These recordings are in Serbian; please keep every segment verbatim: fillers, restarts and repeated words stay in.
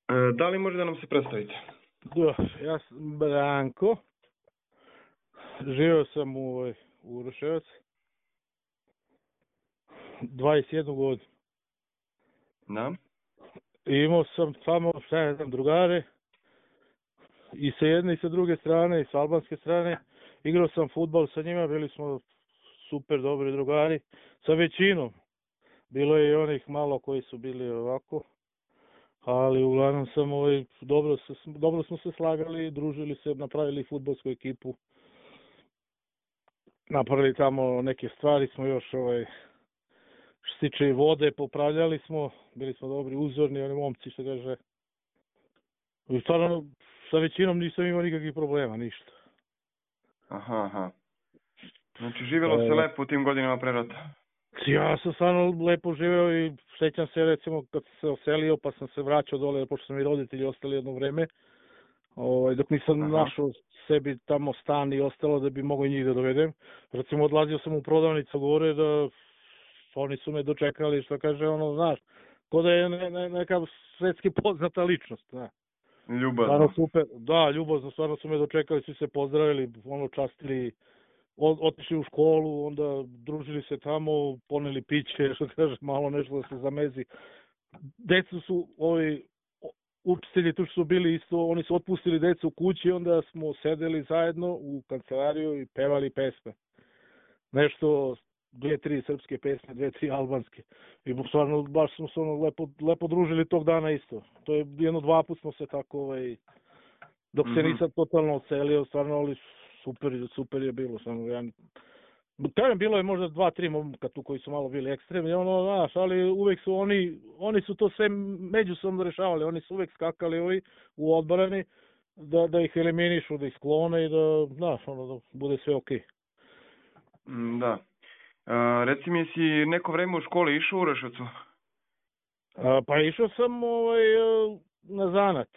E, da li može da nam se predstavite? Da, ja sam Branko, živio sam u, ovaj, u Uroševac, dvadeset jednu godinu. Da. I imao sam samo, šta ja znam, drugare, i sa jedne i sa druge strane, i sa albanske strane. Igrao sam fudbal sa njima, bili smo super dobri drugari, sa većinom. Bilo je i onih malo koji su bili ovako, ali uglavnom sam, ovaj, dobro, se, dobro smo se slagali, družili se, napravili fudbalsku ekipu. Napravili tamo neke stvari, smo još ovaj, što se tiče vode, popravljali smo, bili smo dobri, uzorni, oni momci što kaže. I stvarno, sa većinom nisam imao nikakvih problema, ništa. Aha, aha. Znači, živjelo se E, lepo u tim godinama pre rata. Ja sam stvarno lepo živeo i sećam se recimo kad sam se oselio pa sam se vraćao dole, pošto su mi roditelji ostali jedno vreme, ovaj, dok nisam Aha. našao sebi tamo stan i ostalo da bi mogao i njih da dovedem. Recimo odlazio sam u prodavnicu gore da oni su me dočekali, što kaže, ono, znaš, ko da je ne, ne, neka svetski poznata ličnost, znaš. Ljubazno. Stvarno super, da, ljubazno, stvarno su me dočekali, svi se pozdravili, ono, častili, od, otišli u školu, onda družili se tamo, poneli piće, što kaže, malo nešto da se zamezi. Decu su, ovi, učitelji tu što su bili isto, oni su otpustili decu u kući, onda smo sedeli zajedno u kancelariju i pevali pesme. Nešto, dve, tri srpske pesme, dve, tri albanske. I stvarno, baš smo se ono lepo, lepo družili tog dana isto. To je jedno dva put smo se tako, ovaj, dok se Mhm. nisam totalno ocelio, stvarno, ali super, super je bilo. Samo, ja, kažem, bilo je možda dva, tri momka tu koji su malo bili ekstremni, ono, znaš, ali uvek su oni, oni su to sve međusobno rešavali, oni su uvek skakali ovi u odbrani, da, da ih eliminišu, da ih sklone i da, znaš, ono, da bude sve okej. Mm, Da. E, reci mi, si neko vreme u školi išao u Uroševcu? A, pa išao sam ovaj, na zanat.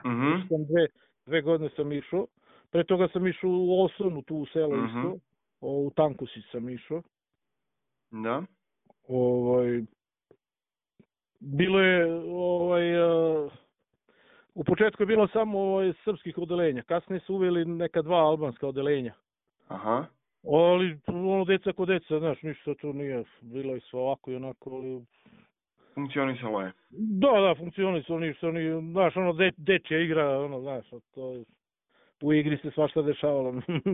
Mhm. Išao sam dve, dve godine sam išao. Pre toga sam išao u Osonu, tu u selo Mhm. isto. O, u Tankusi sam išao. Da. Ovaj, bilo je, ovaj, a, u početku je bilo samo ovaj, srpskih odelenja. Kasnije su uveli neka dva albanska odelenja. Aha. Ali ono deca ko deca, znaš, ništa tu nije. Bilo je sve ovako i onako, ali Funkcionisalo je. da, da, funkcionisalo ništa, oni, znaš, ono, de, dečja igra, ono, znaš, to je, u igri se svašta dešavalo,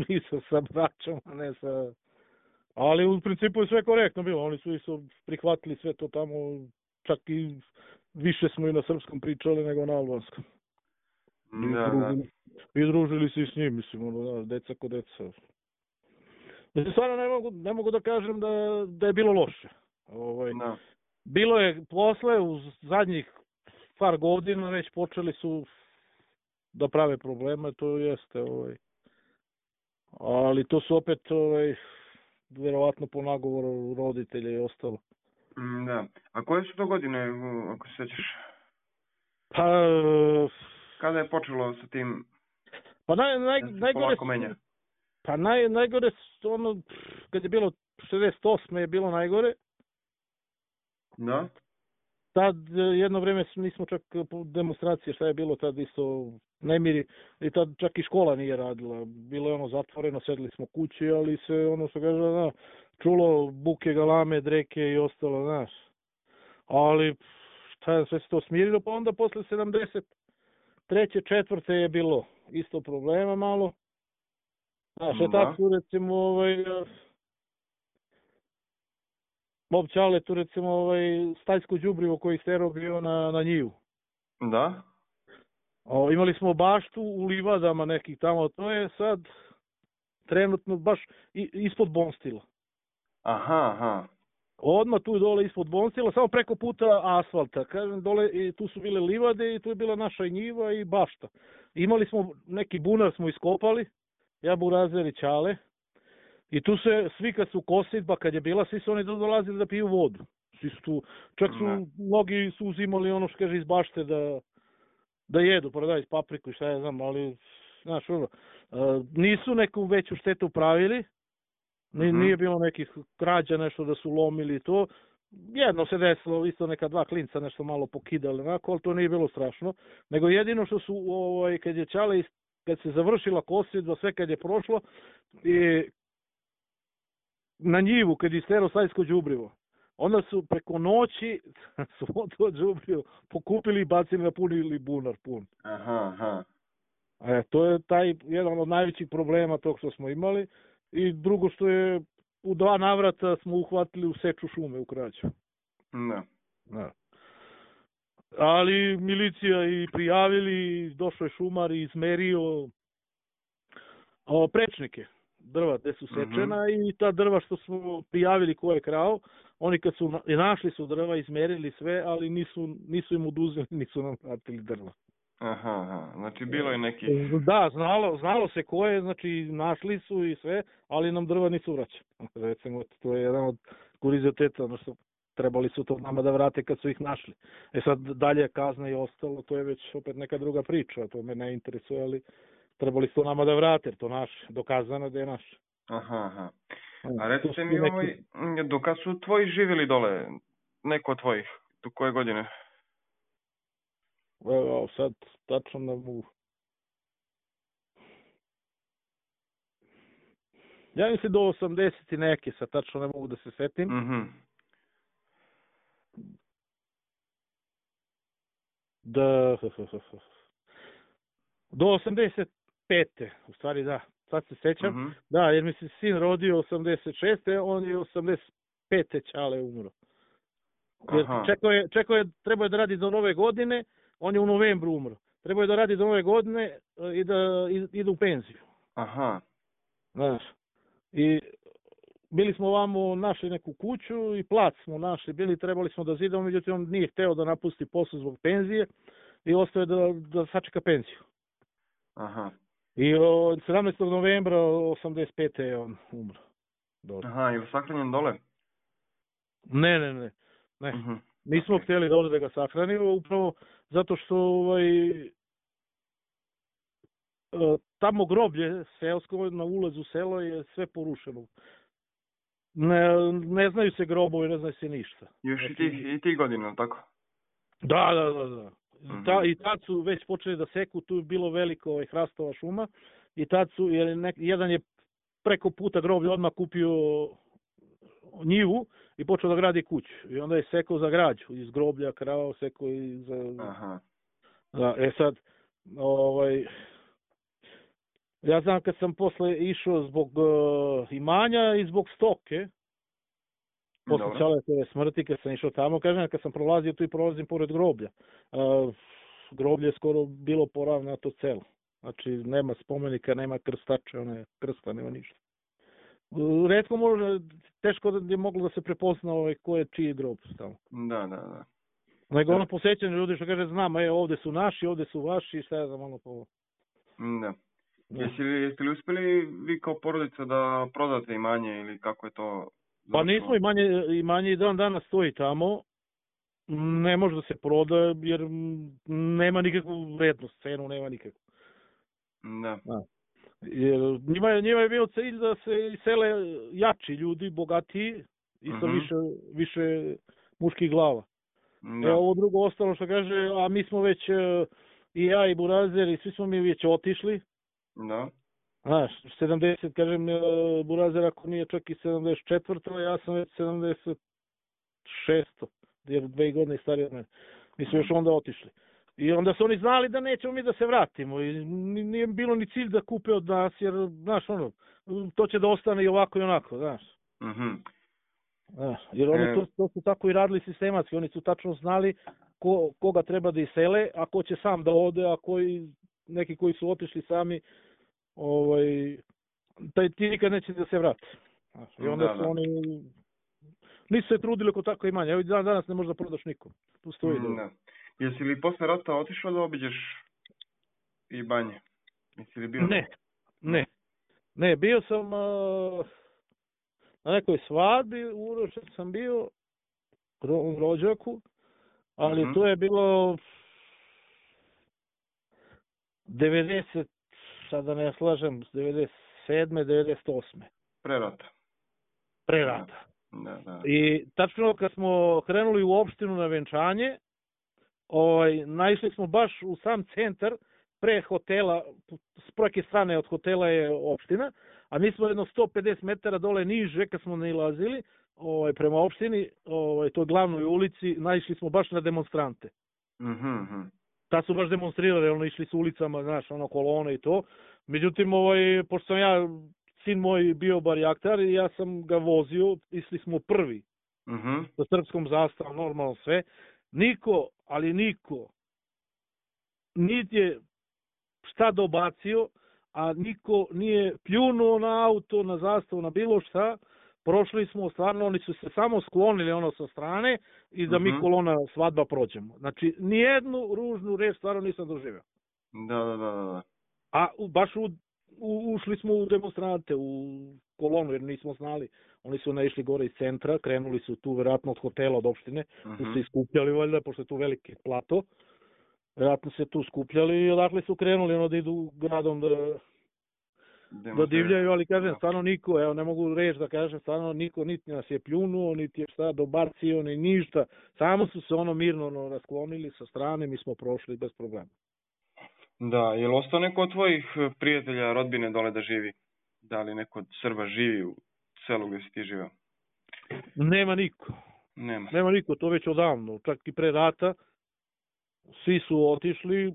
nisam sa braćom, a ne sa... Ali u principu je sve korektno bilo, oni su isto prihvatili sve to tamo, čak i više smo i na srpskom pričali nego na albanskom. I Da, da. družili, i družili se i s njim, mislim, ono, da, deca ko deca. Znači, stvarno ne mogu, ne mogu da kažem da, da je bilo loše. Ovaj, Da. bilo je posle, u zadnjih par godina već počeli su da prave probleme, to jeste, ovaj. Ali to su opet, ovaj, verovatno po nagovoru roditelja i ostalo. Mm, Da. A koje su to godine, u- ako se sećaš? Pa, Kada je počelo sa tim pa naj, naj, da se najgore polako su, menja? pa naj, najgore su, ono, kad je bilo šezdeset osme je bilo najgore, Da. tad jedno vreme nismo čak po demonstracije, šta je bilo tad isto nemiri, i tad čak i škola nije radila, bilo je ono zatvoreno, sedeli smo kući, ali se ono što kaže, da, čulo buke, galame, dreke i ostalo, znaš. Ali šta je, sve se to smirilo, pa onda posle sedamdeset treće, četvrte je bilo isto problema malo. Znaš, je Da. tako su recimo ovaj, Bob Čale tu recimo ovaj, stajsko đubrivo koji sterao bio na, na njivu. Da. O, imali smo baštu u livadama nekih tamo, to je sad trenutno baš i, ispod Bonstila. Aha, aha. Odmah tu dole ispod Bonstila, samo preko puta asfalta. Kažem, dole i tu su bile livade i tu je bila naša njiva i bašta. Imali smo neki bunar smo iskopali, ja Burazer i Čale. I tu se svi kad su kosidba, kad je bila, svi su oni dolazili da piju vodu. Svi su tu, čak su, Da. mnogi su uzimali ono što kaže iz bašte da, da jedu, paradajz, papriku i šta ja znam, ali, znaš, ono, a, nisu neku veću štetu pravili, Ni, Mhm. nije bilo nekih krađa, nešto da su lomili i to, jedno se desilo, isto neka dva klinca nešto malo pokidali, onako, ali to nije bilo strašno. Nego jedino što su, ovaj, kad je Čale, kad se završila kosidba, sve kad je prošlo, i na njivu, kad je istero stajsko đubrivo, onda su preko noći svo to đubrivo pokupili i bacili na punili bunar pun. Aha, aha. E, to je taj jedan od najvećih problema tog što smo imali. I drugo što je, u dva navrata smo uhvatili u seču šume u Krađu. Da. Da. Ali milicija i prijavili, došao je šumar i izmerio o, prečnike drva gde su sečena, mm-hmm. i ta drva što smo prijavili ko je krao, oni kad su na, našli su drva, izmerili sve, ali nisu, nisu im oduzeli, nisu nam vratili drva. Aha, aha, znači bilo je neki... Da, znalo, znalo se ko je, znači našli su i sve, ali nam drva nisu vraćali. Recimo, to je jedan od kurioziteta, znači trebali su to nama da vrate kad su ih našli. E sad dalje kazna i ostalo, to je već opet neka druga priča, to me ne interesuje, ali trebali su to nama da vrate, jer to naš, dokazano da je naš. Aha, aha. A recite mi, neki... ovaj, do kad su tvoji živjeli dole, neko od tvojih, do koje godine? Evo, sad tačno ne mogu. Ja mislim do osamdeset i neke, sad tačno ne mogu da se setim. Mhm. Da, do osamdeset pete, u stvari da, sad se sećam. Mm-hmm. Da, jer mi se sin rodio osamdeset šeste, on je osamdeset pete Čale umro. Jer čekao je, čekao je, trebao je da radi do nove godine, on je u novembru umro. Trebao je da radi do nove godine i da ide u penziju. Aha. Znaš, i bili smo ovamo našli neku kuću i plac smo našli, bili, trebali smo da zidamo, međutim on nije hteo da napusti posao zbog penzije i ostao je da, da sačeka penziju. Aha. I od sedamnaestog novembra osamdeset pete je on umro. Dole. Aha, je li sahranjen dole? Ne, ne, ne. ne. Uh-huh. Nismo okay. htjeli dole da ga sahranimo, upravo zato što ovaj, tamo groblje seosko na ulazu u selo je sve porušeno. Ne, ne znaju se grobovi, ne znaju se ništa. Još znači, i tih i ti godina, tako? Da, da, da, da. Mm-hmm. Ta, I tad su već počeli da seku, tu je bilo veliko ovaj, hrastova šuma i tad su, jer nek, jedan je preko puta groblja odmah kupio njivu i počeo da gradi kuću. I onda je sekao za građu, iz groblja krao, sekao i za... Aha. Da, e sad, ovaj... Ja znam kad sam posle išao zbog uh, imanja i zbog stoke, posle Čaletove smrti, kad sam išao tamo, kažem, kad sam prolazio tu i prolazim pored groblja. Uh, groblje je skoro bilo poravnato celo. Znači, nema spomenika, nema krstače, one krsta, nema ništa. Uh, retko može, teško da je moglo da se prepozna ovaj, ko je čiji grob tamo. Da, da, da. Nego ono posjećanje ljudi što kaže, znam, e, ovde su naši, ovde su vaši, šta je za malo po... Da. Jeste li, jeste li uspjeli vi kao porodica da prodate imanje ili kako je to? Zašto? Pa nismo, imanje, imanje i dan danas stoji tamo, ne može da se proda jer nema nikakvu vrednost, cenu nema nikakvu. Da. da. Jer njima je, njima je bio cilj da se isele jači ljudi, bogatiji i sa mm-hmm. više, više muških glava. Da. E, ovo drugo ostalo što kaže, a mi smo već, i ja i Burazer i svi smo mi već otišli. Da. Znaš, sedamdeset, kažem, Burazer ako nije čak i sedamdeset četvrto, ja sam već sedamdeset šesto, jer dve godine stariji od mene. Mi smo još onda otišli. I onda su oni znali da nećemo mi da se vratimo i nije bilo ni cilj da kupe od nas, jer, znaš, ono, to će da ostane i ovako i onako, znaš. Mhm. Znaš, jer oni to, to su tako i radili sistematski, oni su tačno znali ko, koga treba da isele, a ko će sam da ode, a koji, neki koji su otišli sami, ovaj, taj ti nikad neće da se vrati. Znaš, i onda da, su da. oni, nisu se trudili oko tako imanja, evo dan danas ne možeš da prodaš nikom, tu stoji. Mm, da. Jesi li posle rata otišao da obiđeš i banje? Jesi li bio? Ne, ne, ne, bio sam uh, na nekoj svadbi, uročen sam bio u rođaku, ali mm-hmm. to je bilo devedeset, sad da ne slažem, devedeset sedme, devedeset osme. Pre rata. Pre rata, Da, da. I tačno kad smo krenuli u opštinu na venčanje, ovaj, naišli smo baš u sam centar, pre hotela, s preke strane od hotela je opština, a mi smo jedno sto pedeset metara dole niže kad smo nailazili ovaj, prema opštini, ovaj, toj glavnoj ulici, naišli smo baš na demonstrante. Mhm, mhm. Ta su baš demonstrirali, ono, išli su ulicama, znaš, ono, kolone i to. Međutim, ovaj, pošto sam ja, sin moj bio barjaktar i ja sam ga vozio, išli smo prvi. Mhm. Sa srpskom zastavom, normalno sve. Niko, ali niko, niti je šta dobacio, a niko nije pljunuo na auto, na zastavu, na bilo šta. Prošli smo, stvarno, oni su se samo sklonili ono sa strane i da mi Mhm. kolona svadba prođemo. Znači, nijednu ružnu reč stvarno nisam doživio. Da, da, da, da. A u, baš u, u, ušli smo u demonstrante, u kolonu, jer nismo znali. Oni su naišli gore iz centra, krenuli su tu verovatno od hotela, od opštine, Mhm. tu se iskupljali valjda, pošto je tu veliki plato. Verovatno se tu skupljali i odakle su krenuli, ono da idu gradom da, da divljaju, ali kažem, stvarno niko, evo ne mogu reći da kažem, stvarno niko niti nas je pljunuo, niti je šta dobacio, ni ništa. Samo su se ono mirno ono, rasklonili sa strane, mi smo prošli bez problema. Da, je li ostao neko od tvojih prijatelja, rodbine dole da živi? Da li neko od Srba živi u selu gdje si ti živeo? Nema niko. Nema. Nema niko, to već odavno, čak i pre rata. Svi su otišli,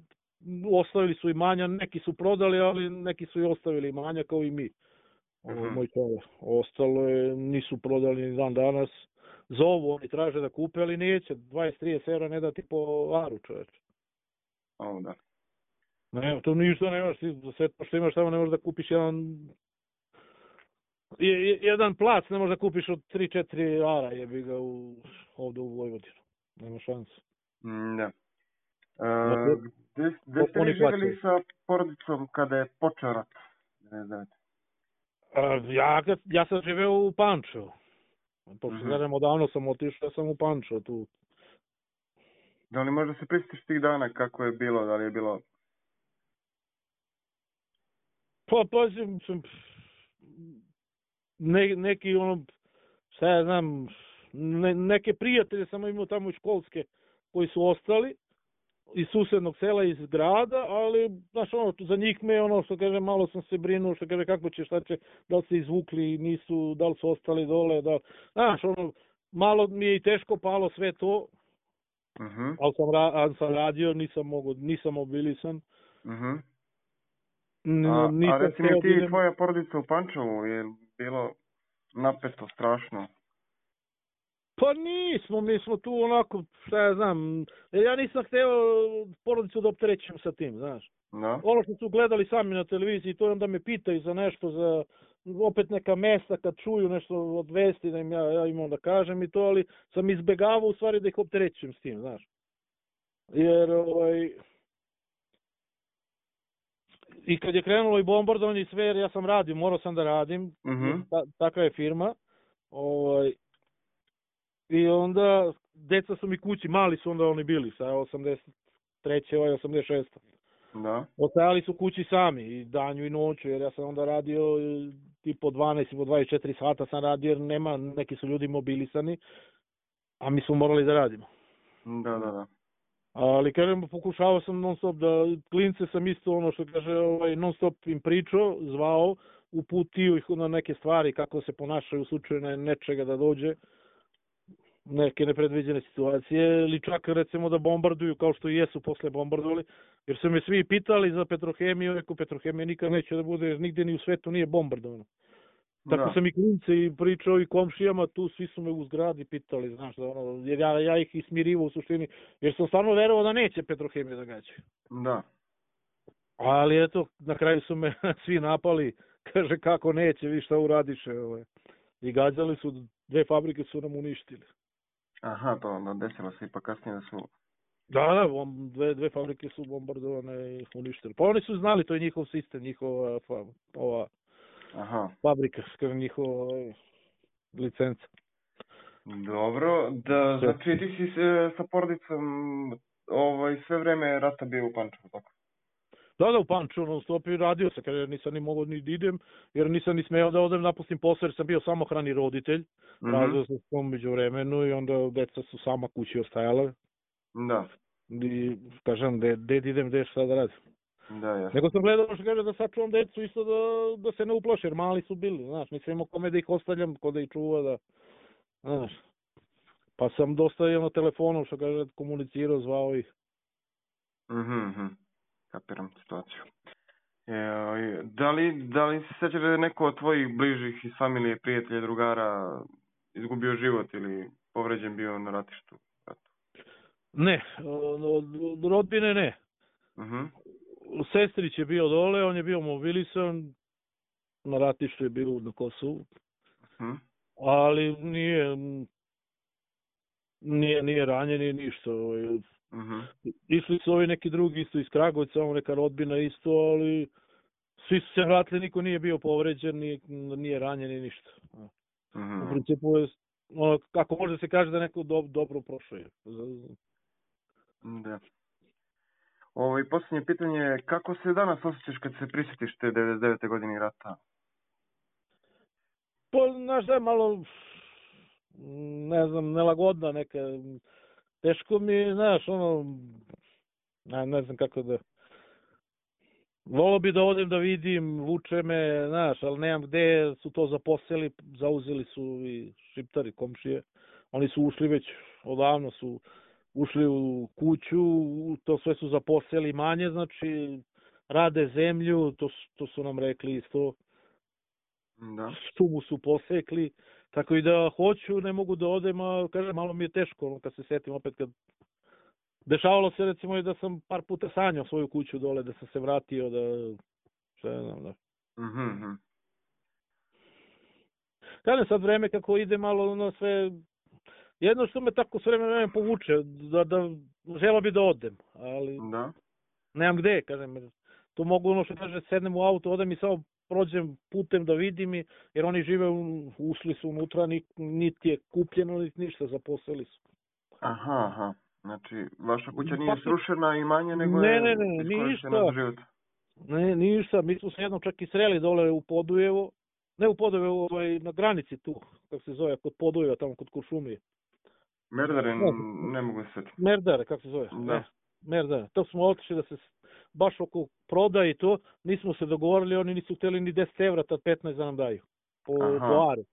ostavili su imanja, neki su prodali, ali neki su i ostavili imanja kao i mi. Ovo je Mhm. moj čovjek. Ostalo je, nisu prodali ni dan danas. Zovu, oni traže da kupe, ali neće. dvadeset trideset evra ne dati po aru, čoveče. O, da. Ne, to ništa nemaš, ti za sve to što imaš tamo ne možeš da kupiš jedan je, je, jedan plac ne možeš da kupiš od tri četiri ara, jebi ga u, ovde u Vojvodinu. Nema šanse. Mm, da. Dakle, E, gde, gde ste oni vi živjeli plaćaju. sa porodicom kada je počeo rat? A, ja, kad, ja sam živeo u Pančevu. Pošto Mhm. kažem, odavno sam otišao, ja sam u Pančevu tu. Da li možda se prisjetiš tih dana kako je bilo, da li je bilo... Pa, pazim, sam, ne, neki ono, šta ja znam, ne, neke prijatelje sam imao tamo iz školske koji su ostali iz susednog sela, iz grada, ali, znaš, ono, za njih me, ono, što kaže, malo sam se brinuo, što kaže, kako će, šta će, da li se izvukli, nisu, da li su ostali dole, da li, znaš, ono, malo mi je i teško palo sve to, Mhm. ali sam, ra, ali sam radio, nisam mogo, nisam mobilisan, Mhm. N, A, a nisam reci mi hteo ti da i idem. tvoja porodica u Pančevu, je bilo napeto, strašno? Pa nismo, mi smo tu onako, šta ja znam, jer ja nisam hteo porodicu da opterećem sa tim, znaš. Da? Ono što su gledali sami na televiziji, to onda me pitaju za nešto, za opet neka mesta kad čuju nešto od vesti, da im ja, ja imam da kažem i to, ali sam izbegavao u stvari da ih opterećem s tim, znaš. Jer, ovaj, i kad je krenulo i bombardovanje i sve, jer ja sam radio, morao sam da radim, Mhm. jer ta, takva je firma, ovaj, i onda deca su mi kući, mali su onda oni bili, sa osamdeset treće ovaj osamdeset šeste Da? Ostajali su kući sami, i danju i noću, jer ja sam onda radio i po dvanaest i po dvadeset četiri sata sam radio, jer nema, neki su ljudi mobilisani, a mi smo morali da radimo. Da, da, da. Ali kažem, pokušavao sam non stop da, klince sam isto ono što kaže, ovaj, non stop im pričao, zvao, uputio ih na neke stvari, kako se ponašaju u slučaju nečega da dođe, neke nepredviđene situacije, ili čak recimo da bombarduju kao što i jesu posle bombardovali, jer su me svi pitali za Petrohemiju, rekao Petrohemija nikad neće da bude, jer nigdje ni u svetu nije bombardovano. Tako Da. sam i klince i pričao i komšijama, tu svi su me u zgradi pitali, znaš, da ono, jer ja, ja ih ismirivo u suštini, jer sam stvarno verovao da neće Petrohemija da gađaju. Da. Ali eto, na kraju su me svi napali, kaže kako neće, vi šta uradiše, ovaj. I gađali su, dve fabrike su nam uništili. Aha, to onda desilo se ipak kasnije da su... Da, da, bom, dve, dve fabrike su bombardovane i uništili. Pa oni su znali, to je njihov sistem, njihova fa, ova Aha. fabrika, skoro njihova ovaj, licenca. Dobro, da, znači ti si se, sa porodicom ovaj, sve vreme rata bio u Pančevu, tako? Da, da, u Pančevu non stop i radio se, kaže, nisam ni mogao ni da idem, jer nisam ni smeo da odem, napustim posao, jer sam bio samohrani roditelj, Mhm. razveo sam se među vremenu i onda deca su sama kući ostajale. Da, I kažem, gde, gde da idem, gde šta da radim. da, jasno. Nego sam gledao što kaže da sačuvam decu isto da, da se ne uplaše, jer mali su bili, znaš, nisam imao kome da ih ostavljam, ko da ih čuva, da, znaš. Pa sam dosta na telefonu, što kaže, komunicirao, zvao ih. Mhm, mhm. Kapiram situaciju. E, da li, da li se sjećaš da je neko od tvojih bližih iz familije, prijatelja, drugara izgubio život ili povređen bio na ratištu? Ne, od rodbine ne. Mhm. Sestrić je bio dole, on je bio mobilisan, na ratištu je bio na Kosovu, Mhm. ali nije, nije, nije ranjen i ništa. Mhm. Išli su ovi neki drugi isto iz Kragujevca, ovo neka rodbina isto, ali svi su se vratili, niko nije bio povređen, nije, nije ranjen i ništa. Mhm. U principu je, ono, kako može se kaže da neko do, dobro prošao je. Da. Ovo, i posljednje pitanje je, kako se danas osjećaš kad se prisjetiš te devedeset devete godine rata? Pa, znaš da je malo, ne znam, nelagodna neka, teško mi je, znaš, ono, ne, ne znam kako da, volio bi da odem da vidim, vuče me, znaš, ali nemam gde, su to zaposeli, zauzeli su i Šiptari, komšije, oni su ušli već, odavno su ušli u kuću, to sve su zaposeli manje, znači, rade zemlju, to, to su nam rekli isto, Da. šumu su posekli, tako i da hoću, ne mogu da odem, a kažem, malo mi je teško, ono, kad se setim opet kad dešavalo se recimo i da sam par puta sanjao svoju kuću dole, da sam se vratio, da, šta ne znam, da. Mhm. Mhm. Kažem sad vreme kako ide malo ono sve, jedno što me tako sve vreme, vreme povuče, da, da želeo bi da odem, ali Da. nemam gde, kažem, jer to mogu ono što kaže, sednem u auto, odem i samo prođem putem da vidim i, jer oni žive, u, ušli su unutra, ni, niti je kupljeno, niti ništa, zaposlili su. Aha, aha. Znači, vaša kuća nije Pa, srušena i manje, nego ne, je ne, ne, iskorištena ništa. za život. Ne, ništa, mi smo se jednom čak i sreli dole u Podujevo, ne u Podujevo, ovaj, na granici tu, kako se zove, kod Podujeva, tamo kod Kuršumlije. Merdare, Ne, ne mogu se setiti. Merdare, kako se zove? Da. Ne, Merdare. To smo otišli da se s- baš oko prodaje i to, nismo se dogovorili, oni nisu htjeli ni deset evra, tad petnaest da nam daju. Po, Aha. po aru.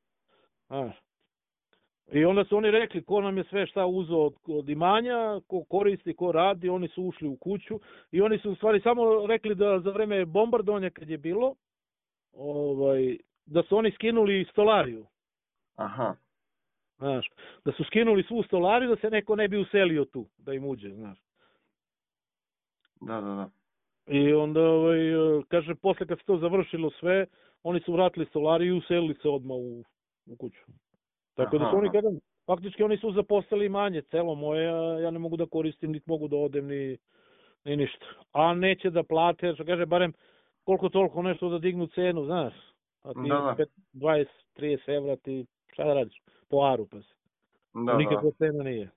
Znaš. I onda su oni rekli ko nam je sve šta uzeo od, od imanja, ko koristi, ko radi, oni su ušli u kuću i oni su u stvari samo rekli da za vreme bombardovanja kad je bilo, ovaj, da su oni skinuli stolariju. Aha. Znaš, da su skinuli svu stolariju da se neko ne bi uselio tu, da im uđe, znaš. Da, da, da. I onda, ovaj, kaže, posle kad se to završilo sve, oni su vratili stolariju i uselili se odmah u, u kuću. Tako da su Aha, oni, aha. kažem, faktički oni su zaposlili manje, celo moje, a ja ne mogu da koristim, niti mogu da odem, ni, ni ništa. A neće da plate, što kaže, barem koliko toliko nešto da dignu cenu, znaš. A ti Da, da. pet, dvadeset trideset evra ti, šta da radiš? Po aru, pa se. Da, da. Nikakva cena nije.